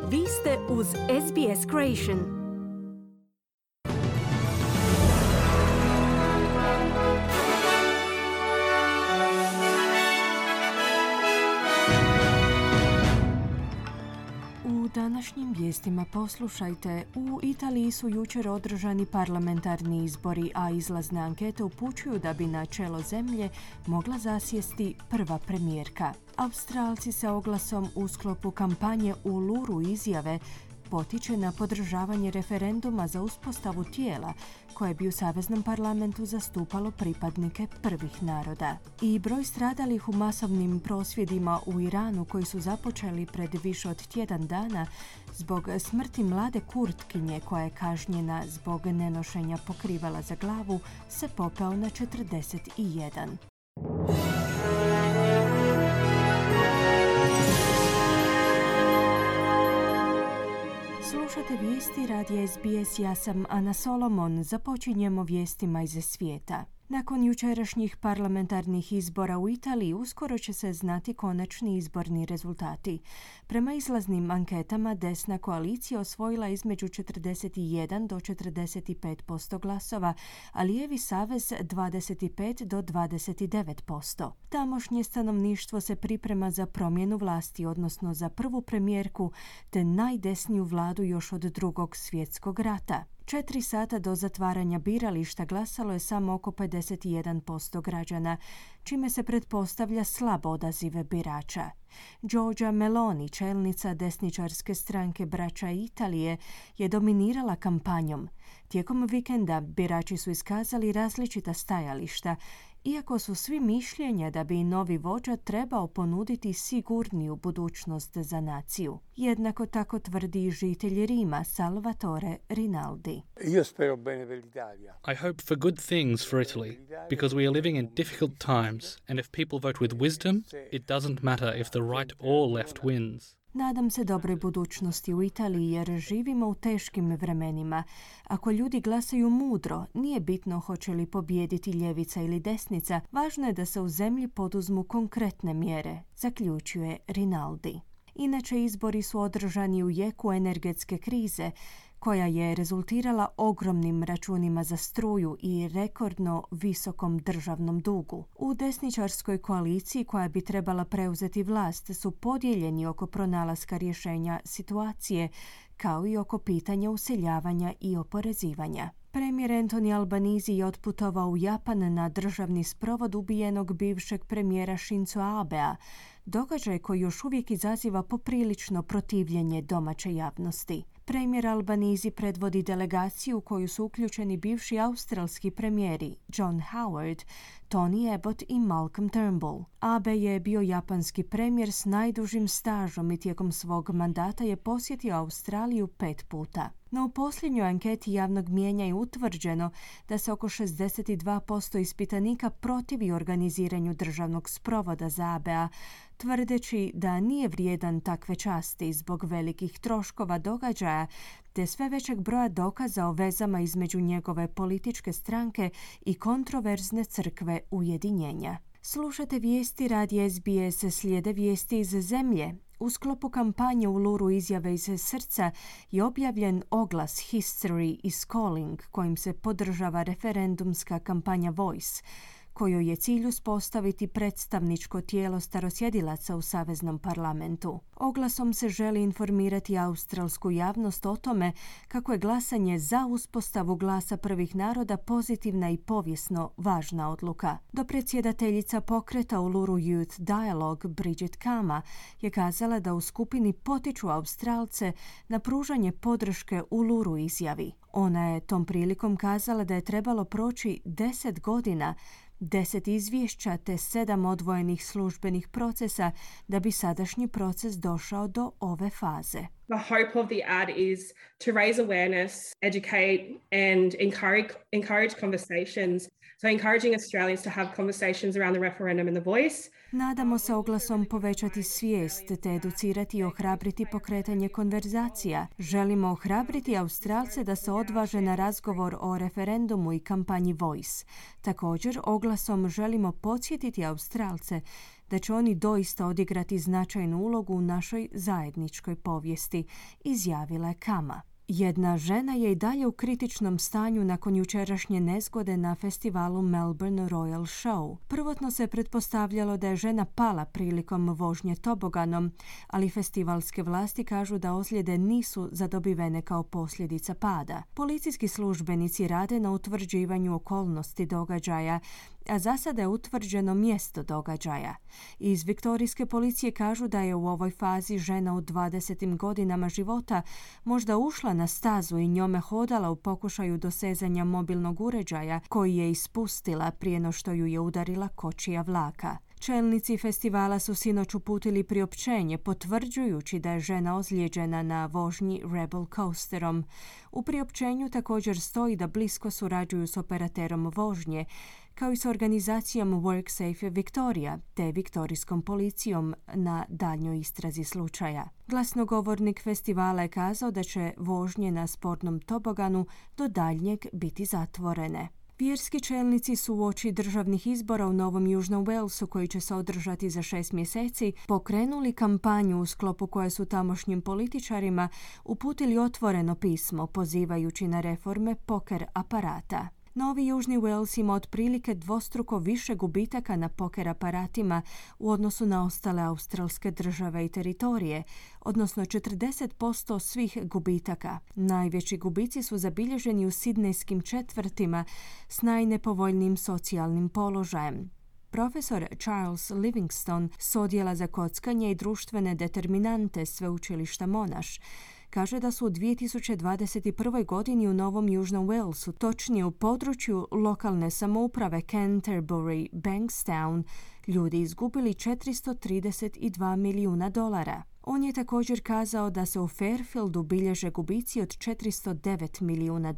Vi ste uz SBS Creation. U današnjim vijestima poslušajte, u Italiji su jučer održani parlamentarni izbori, a izlazne ankete upućuju da bi na čelo zemlje mogla zasjesti prva premijerka. Australci se oglasom u sklopu kampanje Uluru izjave potiče na podržavanje referenduma za uspostavu tijela koje bi u Saveznom parlamentu zastupalo pripadnike prvih naroda. I broj stradalih u masovnim prosvjedima u Iranu koji su započeli pred više od tjedan dana zbog smrti mlade Kurtkinje koja je kažnjena zbog nenošenja pokrivala za glavu se popeo na 41. Slušate vijesti radija SBS, ja sam Ana Solomon. Započinjemo vijestima iz svijeta. Nakon jučerašnjih parlamentarnih izbora u Italiji uskoro će se znati konačni izborni rezultati. Prema izlaznim anketama desna koalicija osvojila između 41 do 45% glasova, a lijevi savez 25 do 29%. Tamošnje stanovništvo se priprema za promjenu vlasti, odnosno za prvu premijerku te najdesniju vladu još od Drugog svjetskog rata. 4 sata do zatvaranja birališta glasalo je samo oko 51% građana, čime se pretpostavlja slab odaziv birača. Giorgia Meloni, čelnica desničarske stranke Braća Italije, je dominirala kampanjom. Tijekom vikenda birači su iskazali različita stajališta, iako su svi mišljenja da bi novi vođa trebao ponuditi sigurniju budućnost za naciju. Jednako tako tvrdi žitelj Rima Salvatore Rinaldi. I hope for good things for Italy, because we are living in difficult times, and if people vote with wisdom, it doesn't matter if the right or left wins. Nadam se dobroj budućnosti u Italiji jer živimo u teškim vremenima. Ako ljudi glasaju mudro, nije bitno hoće li pobijediti ljevica ili desnica, važno je da se u zemlji poduzmu konkretne mjere, zaključuje Rinaldi. Inače, izbori su održani u jeku energetske krize, koja je rezultirala ogromnim računima za struju i rekordno visokom državnom dugu. U desničarskoj koaliciji koja bi trebala preuzeti vlast su podijeljeni oko pronalaska rješenja situacije, kao i oko pitanja useljavanja i oporezivanja. Premijer Anthony Albanese je otputovao u Japan na državni sprovod ubijenog bivšeg premijera Shinzo Abea, događaj koji još uvijek izaziva poprilično protivljenje domaće javnosti. Premijer Albanese predvodi delegaciju u koju su uključeni bivši australski premijeri John Howard, Tony Abbott i Malcolm Turnbull. Abe je bio japanski premijer s najdužim stažom i tijekom svog mandata je posjetio Australiju 5 puta. No u posljednjoj anketi javnog mijenja je utvrđeno da se oko 62% ispitanika protivi organiziranju državnog sprovoda za Abea, tvrdeći da nije vrijedan takve časti zbog velikih troškova događaja te sve većeg broja dokaza o vezama između njegove političke stranke i kontroverzne crkve ujedinjenja. Slušate vijesti radija SBS, slijede vijesti iz zemlje. U sklopu kampanje Uluru izjave iz srca je objavljen oglas History is Calling kojim se podržava referendumska kampanja Voice, kojoj je cilj uspostaviti predstavničko tijelo starosjedilaca u Saveznom parlamentu. Oglasom se želi informirati australsku javnost o tome kako je glasanje za uspostavu glasa prvih naroda pozitivna i povijesno važna odluka. Dopredsjedateljica pokreta Uluru Youth Dialogue Bridget Kama je kazala da u skupini potiču Australce na pružanje podrške Uluru izjavi. Ona je tom prilikom kazala da je trebalo proći 10 godina, 10 izvješća te 7 odvojenih službenih procesa da bi sadašnji proces došao do ove faze. The hope of the ad is to raise awareness, educate and encourage conversations. So encouraging Australians to have conversations around the referendum and the voice. Nadamo se oglasom povećati svijest te educirati i ohrabriti pokretanje konverzacija. Želimo ohrabriti Australce da se odvaže na razgovor o referendumu i kampanji Voice. Također, oglasom želimo podsjetiti Australce da će oni doista odigrati značajnu ulogu u našoj zajedničkoj povijesti, izjavila je Kama. Jedna žena je i dalje u kritičnom stanju nakon jučerašnje nezgode na festivalu Melbourne Royal Show. Prvotno se pretpostavljalo da je žena pala prilikom vožnje toboganom, ali festivalske vlasti kažu da ozljede nisu zadobivene kao posljedica pada. Policijski službenici rade na utvrđivanju okolnosti događaja, a za sada je utvrđeno mjesto događaja. Iz viktorijske policije kažu da je u ovoj fazi žena u 20. godinama života možda ušla na stazu i njome hodala u pokušaju dosezanja mobilnog uređaja koji je ispustila prije no što ju je udarila kočija vlaka. Čelnici festivala su sinoć uputili priopćenje potvrđujući da je žena ozlijeđena na vožnji Rebel Coasterom. U priopćenju također stoji da blisko surađuju s operaterom vožnje, kao i s organizacijom WorkSafe Victoria te viktorijskom policijom na daljnjoj istrazi slučaja. Glasnogovornik festivala je kazao da će vožnje na sportnom toboganu do daljnjeg biti zatvorene. Vjerski čelnici su uoči državnih izbora u Novom Južnom Walesu, koji će se održati za 6 mjeseci, pokrenuli kampanju u sklopu koje su tamošnjim političarima uputili otvoreno pismo pozivajući na reforme poker aparata. Novi Južni Wales ima otprilike dvostruko više gubitaka na poker aparatima u odnosu na ostale australske države i teritorije, odnosno 40% svih gubitaka. Najveći gubici su zabilježeni u sidnejskim četvrtima s najnepovoljnijim socijalnim položajem. Profesor Charles Livingstone s odjela za kockanje i društvene determinante sveučilišta Monash kaže da su u 2021. godini u Novom Južnom Walesu, točnije u području lokalne samouprave Canterbury, Bankstown, ljudi izgubili $432 milijuna. On je također kazao da se u Fairfieldu bilježe gubici od $409 milijuna,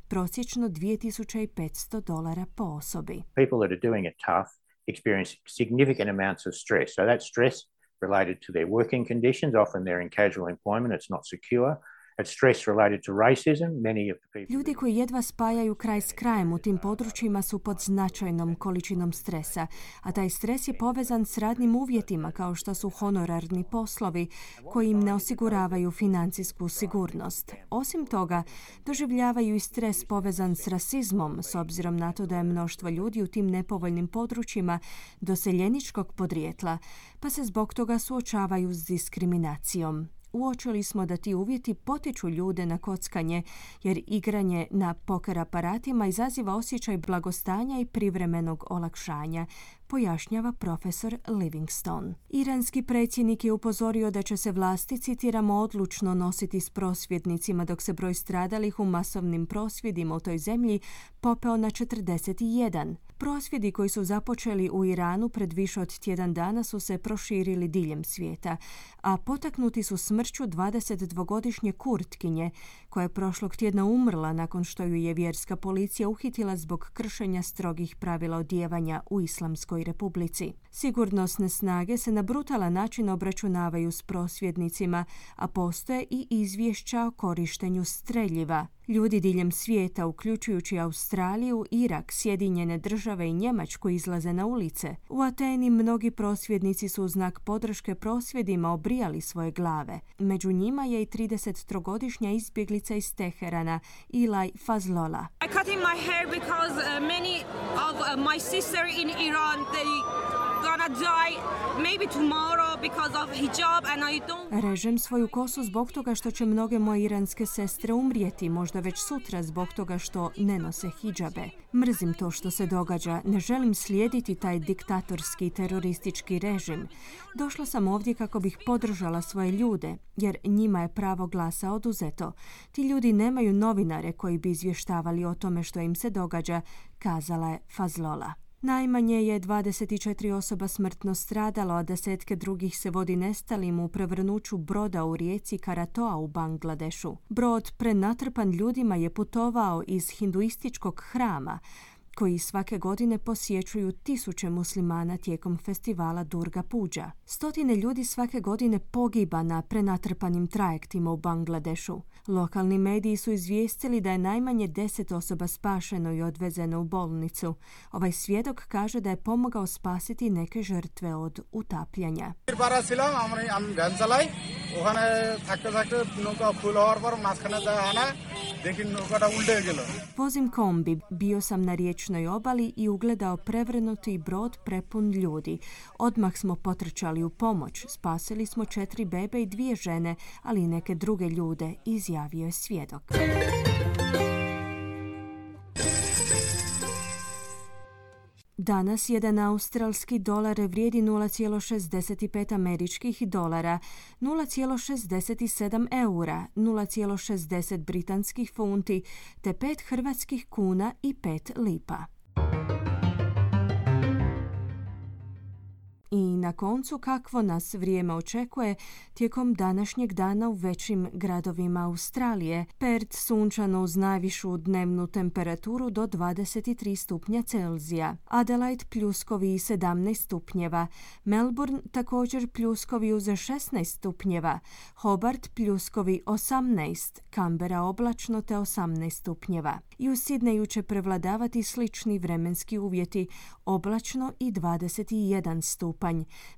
prosječno $2,500 po osobi. People that are doing it tough experience significant amounts of stress. So that stress related to their working conditions, often they're in casual employment, it's not secure. It's stress related to racism. Many of the people... Ljudi koji jedva spajaju kraj s krajem u tim područjima su pod značajnom količinom stresa, a taj stres je povezan s radnim uvjetima kao što su honorarni poslovi koji im ne osiguravaju financijsku sigurnost. Osim toga, doživljavaju i stres povezan s rasizmom, s obzirom na to da je mnoštvo ljudi u tim nepovoljnim područjima doseljeničkog podrijetla, pa se zbog toga suočavaju s diskriminacijom. Uočili smo da ti uvjeti potiču ljude na kockanje, jer igranje na poker aparatima izaziva osjećaj blagostanja i privremenog olakšanja, pojašnjava profesor Livingstone. Iranski predsjednik je upozorio da će se vlasti, citiramo, odlučno nositi s prosvjednicima dok se broj stradalih u masovnim prosvjedima u toj zemlji popeo na 41. Prosvjedi koji su započeli u Iranu pred više od tjedan dana su se proširili diljem svijeta, a potaknuti su smrću 22-godišnje Kurtkinje, koja je prošlog tjedna umrla nakon što ju je vjerska policija uhitila zbog kršenja strogih pravila odijevanja u Islamskoj republici. Sigurnosne snage se na brutalan način obračunavaju s prosvjednicima, a postoje i izvješća o korištenju streljiva. Ljudi diljem svijeta, uključujući Australiju, Irak, Sjedinjene Države i Njemačku, izlaze na ulice. U Ateni mnogi prosvjednici su u znak podrške prosvjedima obrijali svoje glave. Među njima je i 33-godišnja izbjeglica iz Teherana, Ilaj Fazlola. I cut in my hair because many of my sister in Iran, they gonna die maybe tomorrow because of hijab and I don't... Režem svoju kosu zbog toga što će mnoge moje iranske sestre umrijeti, možda već sutra zbog toga što ne nose hidžabe. Mrzim to što se događa, ne želim slijediti taj diktatorski teroristički režim. Došla sam ovdje kako bih podržala svoje ljude, jer njima je pravo glasa oduzeto. Ti ljudi nemaju novinare koji bi izvještavali o tome što im se događa, kazala je Fazlola. Najmanje je 24 osoba smrtno stradalo, a desetke drugih se vodi nestalim u prevrnuću broda u rijeci Karatoa u Bangladešu. Brod prenatrpan ljudima je putovao iz hinduističkog hrama. koji svake godine posjećuju tisuće muslimana tijekom festivala Durga Puja. Stotine ljudi svake godine pogiba na prenatrpanim trajektima u Bangladešu. Lokalni mediji su izvijestili da je najmanje 10 osoba spašeno i odvezeno u bolnicu. Ovaj svjedok kaže da je pomogao spasiti neke žrtve od utapljanja. Vozim kombi, bio sam na riječnoj obali i ugledao prevrnuti brod prepun ljudi. Odmah smo potrčali u pomoć. Spasili smo 4 bebe i 2 žene, ali i neke druge ljude, izjavio je svjedok. Danas jedan australski dolar vrijedi 0,65 američkih dolara, 0,67 eura, 0,60 britanskih funti te 5 hrvatskih kuna i 5 lipa. I na koncu kakvo nas vrijeme očekuje tijekom današnjeg dana u većim gradovima Australije. Perth sunčano uz najvišu dnevnu temperaturu do 23 stupnja Celzija. Adelaide pljuskovi 17 stupnjeva. Melbourne također pljuskovi uz 16 stupnjeva. Hobart pljuskovi 18. Canberra oblačno te 18 stupnjeva. I u Sidneju će prevladavati slični vremenski uvjeti, oblačno i 21 stupanj.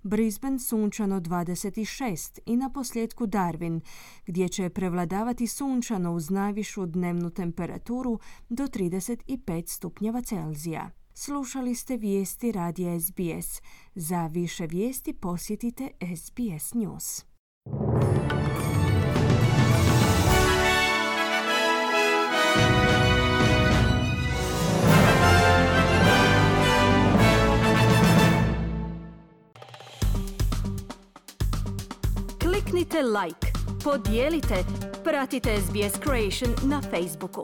Brisbane sunčano 26 i na posljedku Darwin, gdje će prevladavati sunčano uz najvišu dnevnu temperaturu do 35 stupnjeva Celzija. Slušali ste vijesti radija SBS. Za više vijesti posjetite SBS News. Kliknite like, podijelite, pratite SBS Creation na Facebooku.